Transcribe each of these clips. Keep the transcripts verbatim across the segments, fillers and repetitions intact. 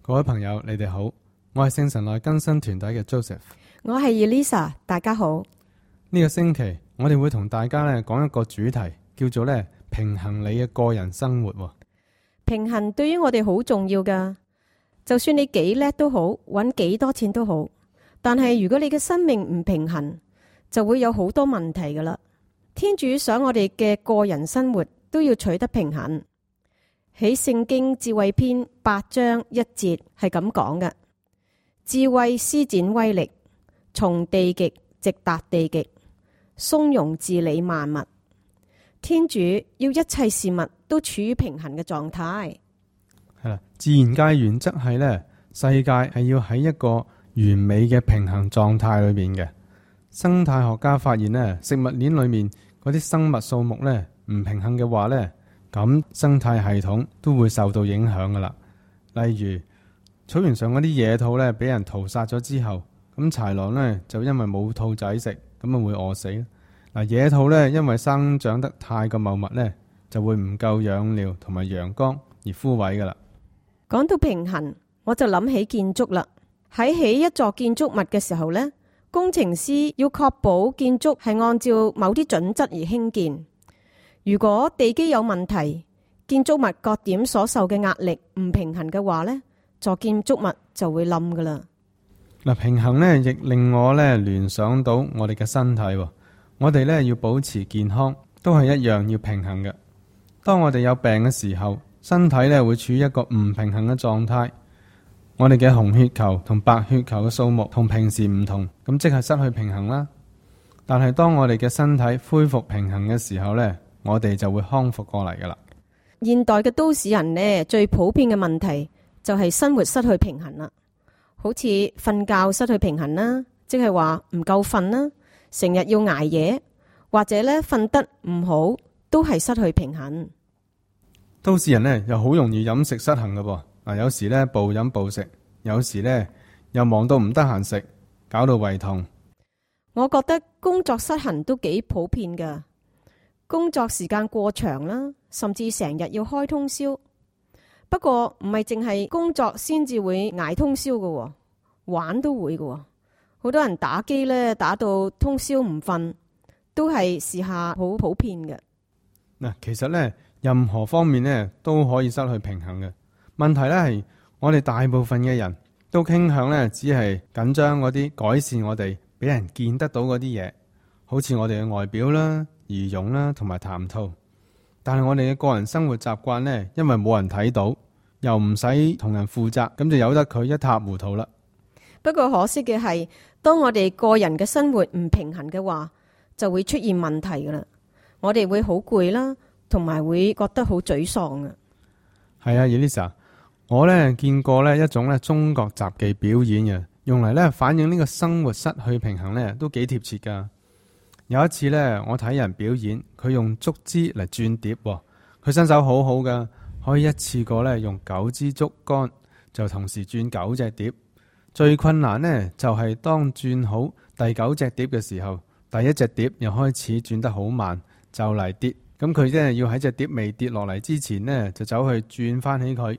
各位朋友，你哋好，我係聖神內更新團體嘅 Joseph， 我係 Elisa， 大家好。呢個星期我哋會同大家咧講一個主題，叫做咧平衡你嘅個人生活。平衡對於我哋好重要噶，就算你幾叻都好，搵幾多錢都好，但係如果你嘅生命唔平衡，就會有好多問題噶啦。天主想我哋嘅個人生活都要取得平衡。喺聖經智慧篇八章一節係咁講嘅：智慧施展威力，從地極直達地極，從容治理萬物。天主要一切事物都處於平衡嘅狀態。係啦，自然界原則係咧，世界係要喺一個完美嘅平衡狀態裏邊嘅。生態學家發現咧，食物鏈裏面嗰啲生物數目咧唔平衡嘅話咧，咁生態系統都會受到影響噶啦。例如草原上嗰啲野兔咧，俾人屠殺咗之後，咁豺狼咧就因為冇兔仔食，咁啊會餓死。嗱，野兔咧因為生長得太過茂密咧，就會唔夠養料同埋陽光而枯萎噶啦。講到平衡，我就諗起建築啦。喺起一座建築物嘅時候呢，工程師要確保建築係按照某啲準則而興建。如果地基有問題，建築物各點所受嘅壓力唔平衡嘅話呢，座建築物就會冧噶啦。嗱，平衡呢亦令我咧聯想到我哋嘅身體。我哋咧要保持健康，都係一樣要平衡嘅。當我哋有病嘅時候，身體咧會處於一個唔平衡嘅狀態。我哋嘅紅血球同白血球嘅數目同平時唔同，咁即係失去平衡啦。但係當我哋嘅身體恢復平衡嘅時候呢，我哋就會康復過嚟噶啦。現代嘅都市人呢，最普遍嘅問題就係生活失去平衡啦。好似瞓覺失去平衡啦，即係話唔夠瞓啦，成日要捱夜，或者咧瞓得唔好，都係失去平衡。都市人呢又好容易飲食失衡噶噃。嗱，有時咧暴飲暴食，有時咧又忙到唔得閒食，搞到胃痛。我覺得工作失衡都幾普遍噶，工作時間過長啦，甚至成日要開通宵。不過唔係淨係工作先至會捱通宵噶，玩都會噶。好多人打機咧，打到通宵唔瞓，都係時下好普遍嘅。嗱，其實咧任何方面咧都可以失去平衡嘅。問題咧係我哋大部分嘅人都傾向咧，只係緊張嗰啲改善我哋俾人見得到嗰啲嘢，好似我哋嘅外表啦、儀容啦同埋談吐。但係我哋嘅個人生活習慣咧，因為冇人睇到，又唔使同人負責，咁就由得佢一塌糊塗啦。不過可惜嘅係，當我哋個人嘅生活唔平衡嘅話，就會出現問題噶啦。我哋會好攰啦，同埋會覺得好沮喪啊。係啊，Elisa，我咧見過咧一種咧中國雜技表演嘅，用嚟咧反映呢個生活失去平衡咧，都幾貼切噶。有一次咧，我睇人表演，佢用竹枝嚟轉碟，佢身手好好噶，可以一次過咧用九支竹竿就同時轉九隻碟。最困難呢，就係當轉好第九隻碟嘅時候，第一隻碟又開始轉得好慢，就嚟跌。咁佢真係要喺隻碟未跌落嚟之前呢，就走去轉翻起佢。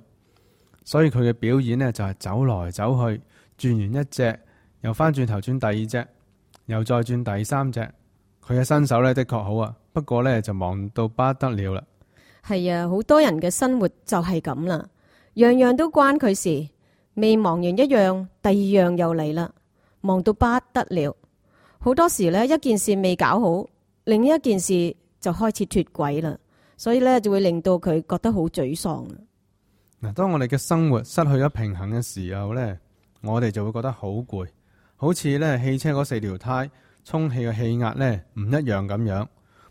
所以佢嘅表演呢，就係走來走去，轉完一隻又翻轉頭轉第二隻，又再轉第三隻。佢嘅身手呢，的確好啊，不過呢，就忙到不得了啦。係啊，好多人嘅生活就係咁啦，樣樣都關佢事。未忙完一樣，第二樣又嚟啦，忙到不得了。好多時呢，一件事未搞好，另一件事就開始脫軌啦，所以呢，就會令到佢覺得好沮喪。嗱，當我哋嘅生活失去咗平衡嘅時候呢，我哋就會覺得好攰，好似呢汽車嗰四條胎充氣嘅氣壓呢唔一樣咁樣。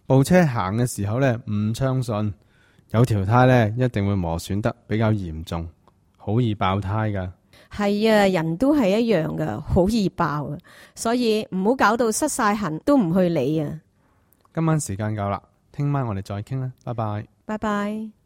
部車行嘅時候呢唔暢順，有條胎呢一定會磨損得比較嚴重，好易爆胎噶。係啊，人都係一樣噶，好易爆啊，所以唔好搞到失晒痕都唔去理啊。今晚時間夠啦，聽晚我哋再傾啦，拜拜。拜拜。